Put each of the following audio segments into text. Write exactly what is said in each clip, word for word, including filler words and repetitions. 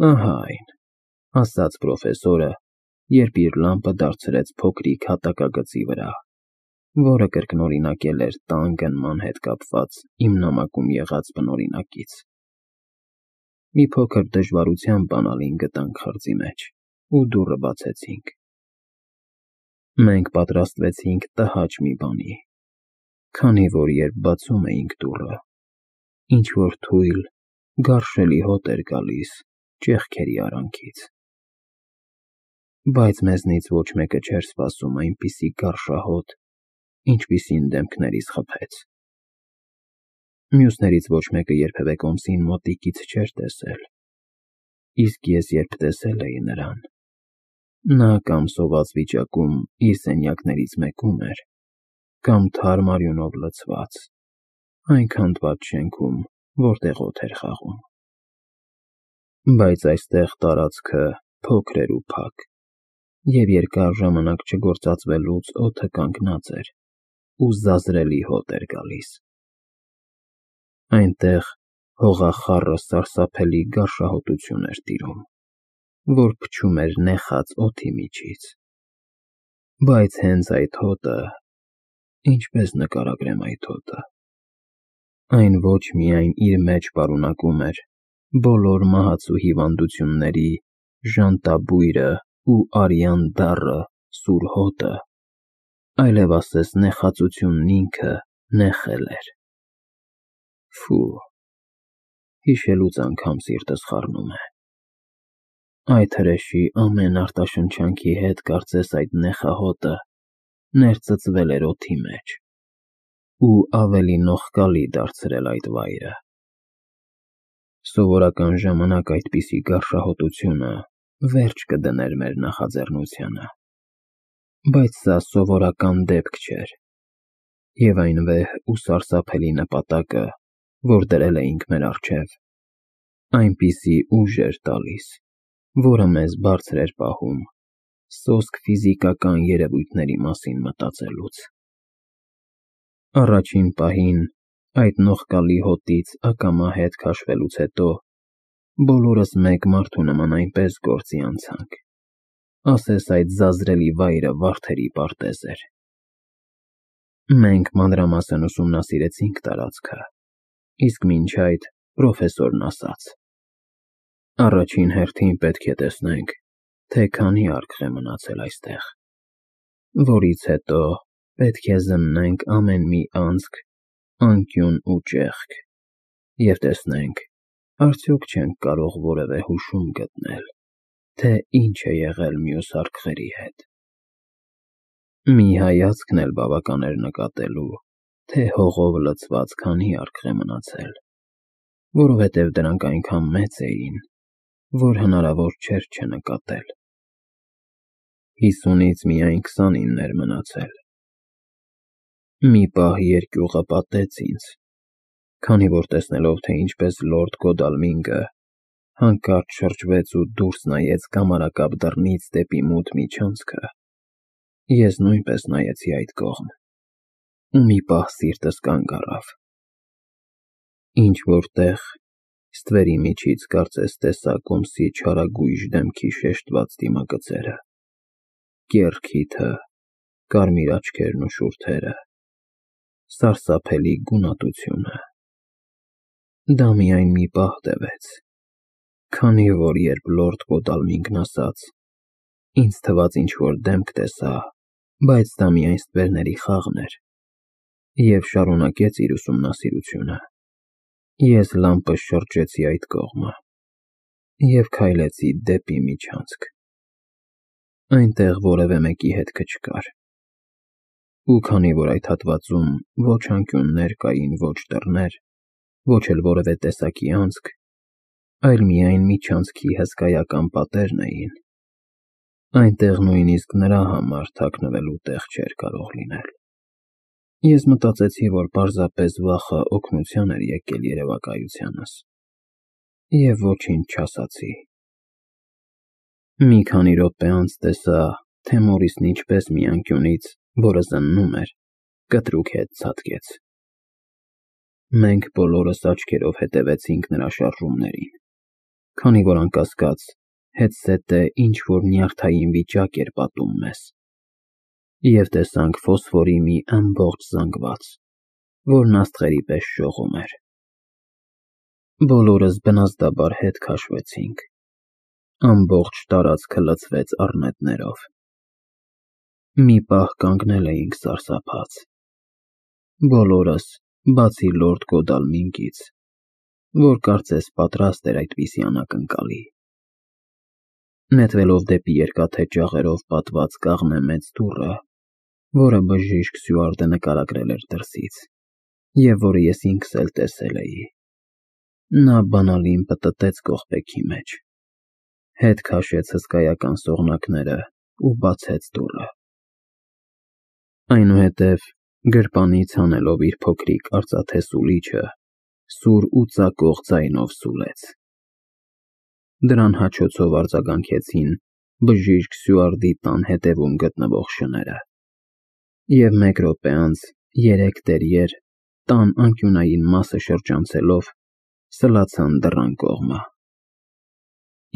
Ահա այն, ասաց պրոֆեսորը, երբ իր լամպը դարձրեց փոքրիկ հատակագծի վրա, որը կրկնօրինակել էր տան գնման հետ կապված իմ նամակում եղած բնօրինակից։ Մի փոքր դժվարությամբ բանալին գտանք խրձի մեջ ու դուռը բացեցինք։ Մենք պատրաստվեցինք տհաճ մի բանի, քանի որ երբ բացում էինք դուռը, ինչ-որ թույլ, գարշելի հոտ էր գալիս ճեղքերի արանքից։ Բայց մեզնից ոչ մեկը չէր սպասում այնպիսի գարշահոտ, ինչպիսին դեմքներիս խփեց։ Մյուսներից ոչ մեկը երբևէ կոմսին մոտիկից չէր տեսել, իսկ ես երբ տեսել էի նրան, նա կամ սոված վիճակում իր սենյակներից մեկում էր, կամ թարմ արյունով լցված, այն քանդված շենքում, որտեղ օդ էր խաղում։ Բայց այստեղ տարածքը փոքր էր ու փակ, և երկար ժամանակ չգործածվելուց օդը կանգնած էր ու զազրելի հոտ էր գալիս։ Այնտեղ հողախառը սարսափելի գարշահոտություն էր տիրում, որ փչում էր նեխած օդի միջից։ Բայց հենց այդ հոտը… ինչպես նկարագրեմ այդ հոտը… այն ոչ միայն իր մեջ պարունակում էր բոլոր մահացու հիվանդությունների ժանտաբույրը ու արյան դառը սուր հոտը, այլև ասես նեխածությունն ինքը նեխել էր… Ֆու… հիշելուց անգամ սիրտս խառնում է։ Այդ հրեշի ամեն արտաշնչանքի հետ կարծես այդ նեխահոտը ներծծվել էր օդի մեջ ու ավելի նողկալի դարձրել այդ վայրը։ Սովորական ժամանակ այդպիսի գարշահոտությունը վերջ կդներ մեր նախաձեռնությանը, բայց սա սովորական դեպք չէր, և այն վեհ ու սարսափելի նպատակը, որ դրել էինք մեր առջև, այնպիսի ուժ էր տալիս, որը մեզ բարձր էր պահում սոսկ ֆիզիկական երևույթների մասին մտածելուց։ Առաջին պահին, այդ նողկալի հոտից ակամա հետ քաշվելուց հետո, բոլորս մեկ մարդու նման այնպես գործի անցանք, ասես այդ զազրելի վայրը վարդերի պարտեզ էր։ Մենք մանրամասն ուսումնասիրեցինք տարածքը, իսկ մինչ այդ պրոֆեսորն ասաց. «Առաջին հերթին պետք է տեսնենք, թե քանի արքղ է մնացել այստեղ, որից հետո պետք է զննենք ամեն մի անցք, անկյուն ու ճեղք և տեսնենք, արդյոք չենք կարող որևէ հուշում գտնել, թե ինչ է եղել մյուս արքղերի հետ։ Մի հայացքն էլ բավական էր նկատելու, թե հողով լցված քանի արքղ է մնացել, որովհետև դրանք այնքան մեծ էին, որ հնարավոր չէր չնկատել։ Հիսունից միայն քսանինն էր մնացել։ Մի պահ երկյուղը պատեց ինձ, քանի որ տեսնելով, թե ինչպես լորդ Գոդալմինգը հանկարծ շրջվեց ու դուրս նայեց կամարակապ դռնից դեպի մութ միջանցքը, ես նույնպես նայեցի այդ կողմ, ու մի պահ սիրտս կանգ առավ։ Ինչ-որ տեղ, ստվերի միջից կարծես տեսա կոմսի չարագույժ դեմքի շեշտված դիմագծերը, կեռ քիթը, կարմիր աչքերն ու շուրթերը, սարսափելի գունատությունը։ Դա միայն մի պահ տևեց, քանի որ երբ լորդ Գոդալմինգն ասաց. «Ինձ թվաց ինչ-որ դեմք տեսա, բայց դա միայն ստվերների խաղն էր», և շարունակեց իր ուսումնասիրությունը, ես լամպս շրջեցի այդ կողմը և քայլեցի դեպի միջանցք։ Այնտեղ որևէ մեկի հետքը չկար, ու քանի որ այդ հատվածում ոչ անկյուններ կային, ոչ դռներ, ոչ էլ որևէ տեսակի անցք, այլ միայն միջանցքի հսկայական պատերն էին, այնտեղ նույնիսկ նրա համար թաքնվելու տեղ չէր կարող լինել։ Ես մտածեցի, որ պարզապես վախը օգնության էր եկել երևակայությանս, և ոչինչ չասացի։ Մի քանի րոպե անց տեսա, թե Մորիսն ինչպես մի անկյունից, որը զննում էր, կտրուկ հետ ցատկեց։ Մենք բոլորս աչքերով հետևեցինք նրա շարժումներին, քանի որ անկասկած հետսետը ինչ-որ նյարդային վիճակ էր պատում մեզ, և տեսանք ֆոսֆորի մի ամբողջ զանգված, որն աստղերի պես շողում էր։ Բոլորս բնազդաբար հետ քաշվեցինք, ամբողջ տարածքը լցվեց առնետներով։ Մի պահ կանգնել էինք սարսափած, բոլորս, բացի լորդ Գոդալմինգից, որ կարծես պատրաստ էր այդպիսի անակնկալի։ Նետվելով դեպի երկաթե ճաղերով պատված կաղնե մեծ դուռը, որը բժիշկ Սյուարտը նկարագրել էր դրսից, և որը ես ինքս էլ տեսել էի, նա բանալին պտտեց կողպեքի մեջ, հետ քաշեց հսկայական սողնակները ու բացեց դուռը։ Այնուհետև գրպանից հանելով իր փոքրիկ արծաթե սուլիչը, սուր ու ծակող ձայնով սուլեց։ Դրան հաչոցով արձագանքեցին բժիշկ Սյուարտի տան հետևում գտնվող շները, և մեկ րոպե անց երեք տերիեր, տան անկյունային մասը շրջանցելով, սլացան դռան կողմը։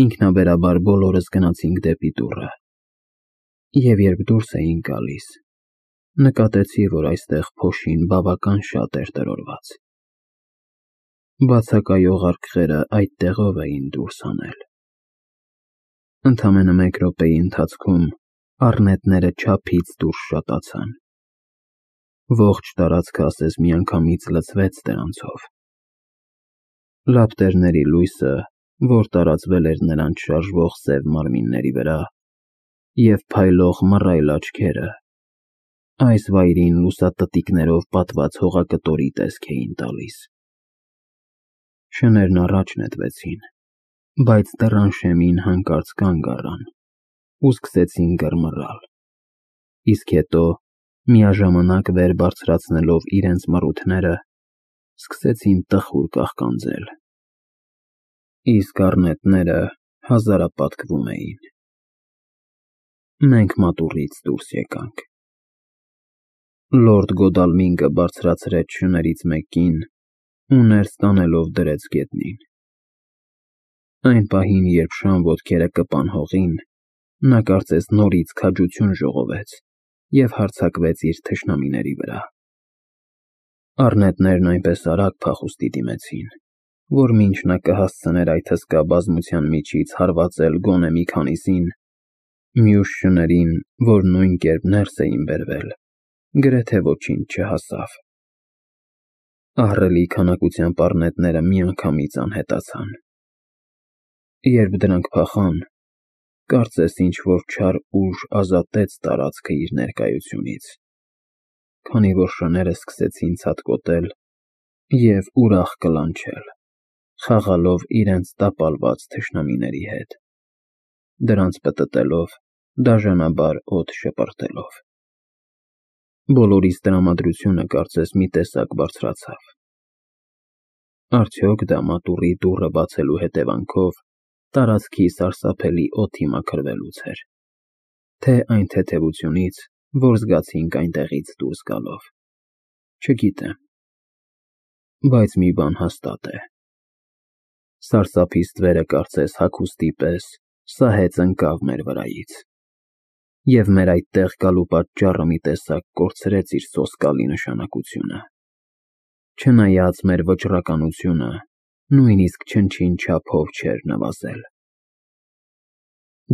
Ինքնաբերաբար բոլորս գնացինք դեպի դուռը, և երբ դուրս էինք գալիս, նկատեցի, որ այստեղ փոշին բավական շատ էր տրորված։ Բացակայող արկղերը այդ տեղով էին դուրս հանել։ Ընդամենը մեկ րոպեի ընթացքում առնետները չափից դուրս շատացան։ Ողջ տարածքը ասես միանգամից լցվեց դրանցով։ Լապտերների լույսը, որ տարածվել էր նրանց շարժվող սև մարմինների վրա, և փայլող մռայլ աչքերը, այս վայրին լուսատտիկներով պատված հողակտորի տեսք էին տալիս։ Շներն առաջ նետվեցին, բայց դռան շեմին հանկարծ կանգ առան ու սկսեցին գռմռալ, իսկ հետո, միաժամանակ վեր բարձրացնելով իրենց մռութները, սկսեցին տխուր կաղկանձել, իսկ առնետները հազարապատկվում էին։ Մենք մատուռից դուրս եկանք։ Լորդ Գոդալմինգը բարձրացրեց շներից մեկին ու ներս տանելով դրեց գետնին։ Այն պահին, երբ շան ոտքերը կպան հողին, նա կարծես նորից քաջություն ժողովեց և հարձակվեց իր թշնամիների վրա։ Առնետներն այնպես արագ փախուստի դիմեցին, որ մինչ նա կհասցներ այդ հսկա բազմության միջից հարվածել գոնե մի քանիսին, մյուս շներին, որ նույն կերպ ներս էին բերվել, գրեթե ոչինչ չհասավ։ Ահռելի քանակությամբ առնետները միանգամից անհետացան։ Երբ դրանք փախան, կարծես ինչ-որ չար ուժ ազատեց տարածքը իր ներկայությունից, քանի որ շները սկսեցին ցատկոտել և ուրախ կլանչել, խաղալով իրենց տապալված թշնամիների հետ, դրանց պտտելով, դաժանաբար օդ շպրտելով։ Բոլորիս տրամադրությունը կարծես մի տեսակ բարձրացավ։ Արդյոք դա մատուռի դուռը բացելու հետևանքով տարածքի սարսափելի օդի մաքրվելուց էր, թե այն թեթևությունից, որ զգացինք այնտեղից դուրս գալով, չգիտեմ, բայց մի բան հաստատ է. սարսափի ստվերը կարծես հագուստի պես սահեց ընկավ մեր վրայից, և մեր այդտեղ գալու պատճառը մի տեսակ կորցրեց իր սոսկալի նշանակությունը, չնայած մեր վճռականությունը նույնիսկ չնչին չափով չէր նվազել։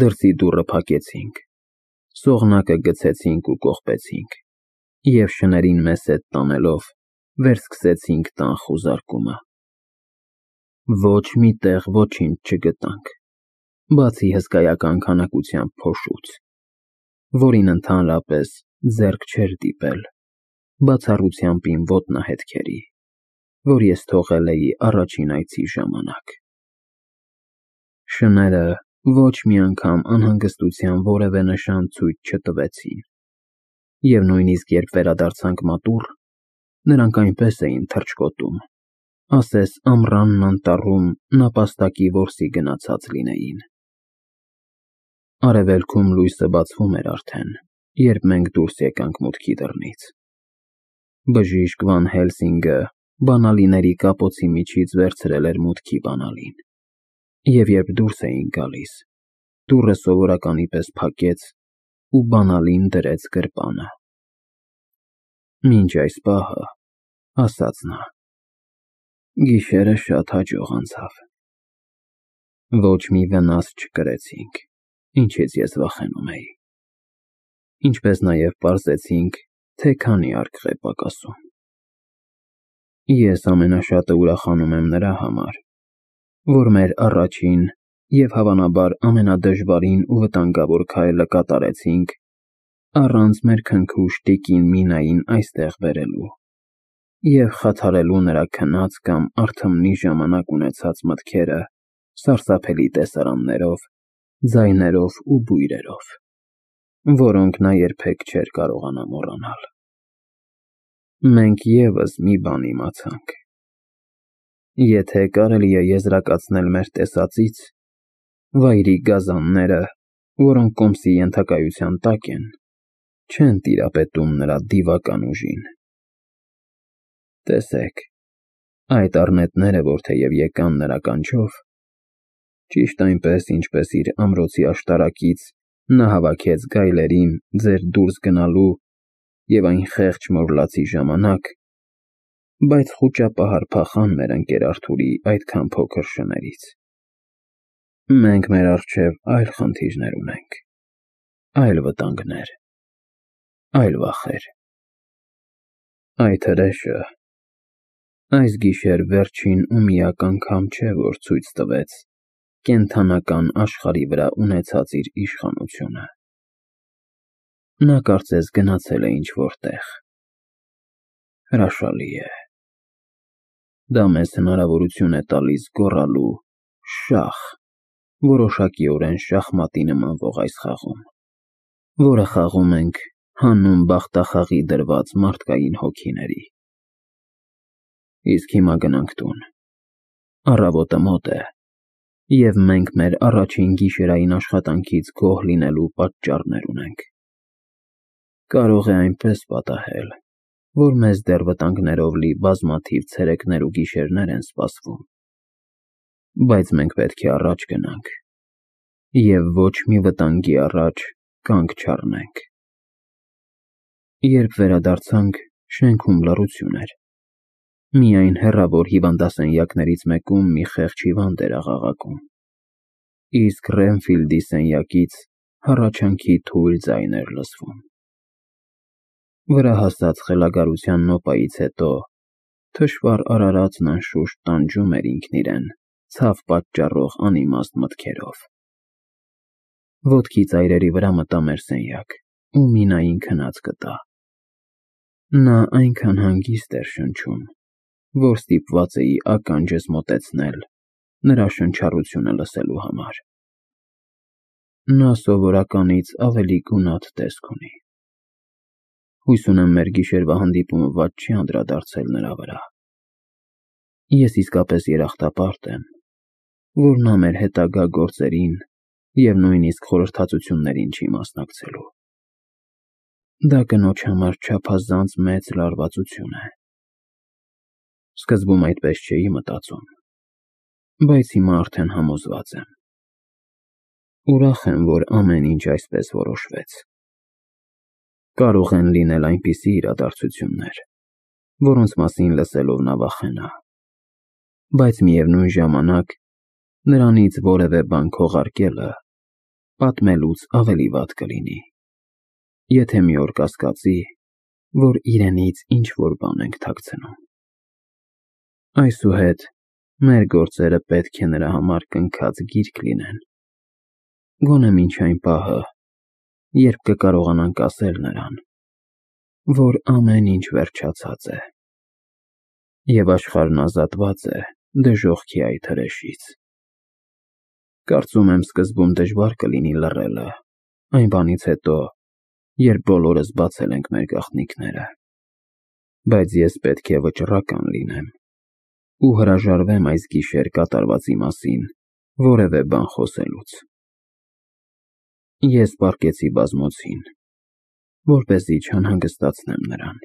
Դրսի դուռը փակեցինք, սողնակը գցեցինք ու կողպեցինք, և շներին մեզ հետ տանելով, վերսկսեցինք տան խուզարկումը։ Ոչ մի տեղ ոչինչ չգտանք, բացի հսկայական քանակությամբ փոշուց, որին ընդհանրապես ձեռք չէր դիպել, բացառությամբ իմ ոտնահետքերի, որ ես թողել էի առաջին այցի ժամանակ։ Շները ոչ մի անգամ անհանգստության որևէ նշան ցույց չտվեցին, և նույնիսկ երբ վերադարձանք մատուռ, նրանք այնպես էին թռչկոտում, ասես ամռանն անտառում նապաստակի որսի գնացած լինեին։ Արևելքում լույսը բացվում էր արդեն, երբ մենք դուրս եկանք մուտքի դռնից։ Բժիշկ Վան Հելսինգը բանալիների կապոցի միջից վերցրել էր մուտքի բանալին Եվ երբ դուրս էինք գալիս, դուռը սովորականի պես փակեց ու բանալին դրեց գրպանը։ Մինչ այս պահը, ասաց նա, գիշերը շատ հաջող անցավ։ Ոչ մի վնաս չկրեցինք, ինչից ես վախենում էի։ Ինչպես նաև պարզեցինք, թե քանի արկղ է պակասում։ Ես ամենաշատը ուրախանում եմ նրա համար, որ մեր առաջին և հավանաբար ամենադժվարին ու վտանգավոր քայլը կատարեցինք առանց մեր քնքուշ տիկին Մինային այստեղ բերելու և խաթարելու նրա քնած կամ արթմնի ժամանակ ունեցած մտքերը սարսափելի տեսարաններով, ձայներով ու բույրերով, որոնք նա երբեք չէր կարողանա մոռանալ։ Մենք ևս մի բան իմացանք. եթե կարելի է եզրակացնել մեր տեսածից, վայրի գազանները, որոնք կոմսի ենթակայության տակ են, չեն տիրապետում նրա դիվական ուժին։ Տեսեք, այդ առնետները, որ թեև եկան նրա կանչով, ճիշտ այնպես, ինչպես իր ամրոցի աշտարակից նա հավաքեց գայլերին ձեր դուրս գնալու և այն խեղճ մորլացի ժամանակ, բայց խուճապահար փախան մեր ընկեր Արթուրի այդքան փոքր շներից։ Մենք մեր առջև այլ խնդիրներ ունենք, այլ վտանգներ, այլ վախեր։ Այդ հրեշը այս գիշեր վերջին ու միակ անգամ չէ, որ ցույց տվեց կենդանական աշխարհի վրա ունեցած իր իշխանությունը։ Նա կարծես գնացել է ինչ-որ տեղ։ Հրաշալի է։ Դա մեզ հնարավորություն է տալիս գոռալու շախ, որոշակիորեն շախմատի նմանվող այս խաղում, որը խաղում ենք հանուն բախտախաղի դրված մարդկային հոգիների։ Իսկ հիմա գնանք տուն։ Առավոտը մոտ է, և մենք մեր առաջին գիշերային աշխատանքից գոհ լինելու պատճառներ ունենք։ Կարող է այնպես պատահել, որ մեզ դեռ վտանգներով լի բազմաթիվ ցերեկներ ու գիշերներ են սպասվում, բայց մենք պետք է առաջ գնանք և ոչ մի վտանգի առաջ կանգ չառնենք։ Երբ վերադարձանք, շենքում լռություն էր։ Միայն հեռավոր հիվանդասենյակներից մեկում մի խեղճ հիվանդ էր աղաղակում, իսկ Ռենֆիլդի սենյակից հառաչանքի թույլ ձայն էր լսվում։ Վրա հասած խելագարության նոպայից հետո թշվառ արարածն անշուշտ տանջում էր ինքն իրեն ցավ պատճառող անիմաստ մտքերով։ Ոտքի ծայրերի վրա մտա մեր սենյակ ու Մինային քնած գտա։ Նա այնքան հանգիստ էր շնչում, որ ստիպված էի ականջս մոտեցնել նրա շնչառությունը լսելու համար։ Նա սովորականից ավելի գունատ տեսք ունի։ Հույս ունեմ մեր գիշերվա հանդիպումը վատ չի անդրադարձել նրա վրա։ Ես իսկապես երախտապարտ եմ, որ նա մեր հետագա գործերին և նույնիսկ խորհրդածություններին չի մասնակցելու։ Դա կնոջ համար չափազանց մեծ լարվածություն է։ Սկզբում այդպես չէի մտածում, բայց հիմա արդեն համոզված եմ։ Ուրախ եմ, որ ամեն ինչ այսպես որոշվեց։ Կարող են լինել այնպիսի իրադարձություններ, որոնց մասին լսելով նա վախենա, բայց միևնույն ժամանակ նրանից որևէ բան քողարկելը պատմելուց ավելի վատ կլինի, եթե մի օր կասկածի, որ իրենից ինչ-որ բան ենք թաքցնում։ Այսուհետ մեր գործերը պետք է նրա համար կնքած գիրք լինեն, գոնե մինչ այն պահը, երբ կկարողանանք ասել նրան, որ ամեն ինչ վերջացած է, և աշխարհն ազատված է դժոխքի այդ հրեշից։ Կարծում եմ սկզբում դժվար կլինի լռելը, այն բանից հետո, երբ բոլորս բացել ենք մեր գաղտնիքները, բայց ես պետք է վճռական լինեմ ու հրաժարվեմ այս գիշեր կատարվածի մասին որևէ բան խոսելուց։ Ես պառկեցի բազմոցին, որպեսզի չանհանգստացնեմ նրան։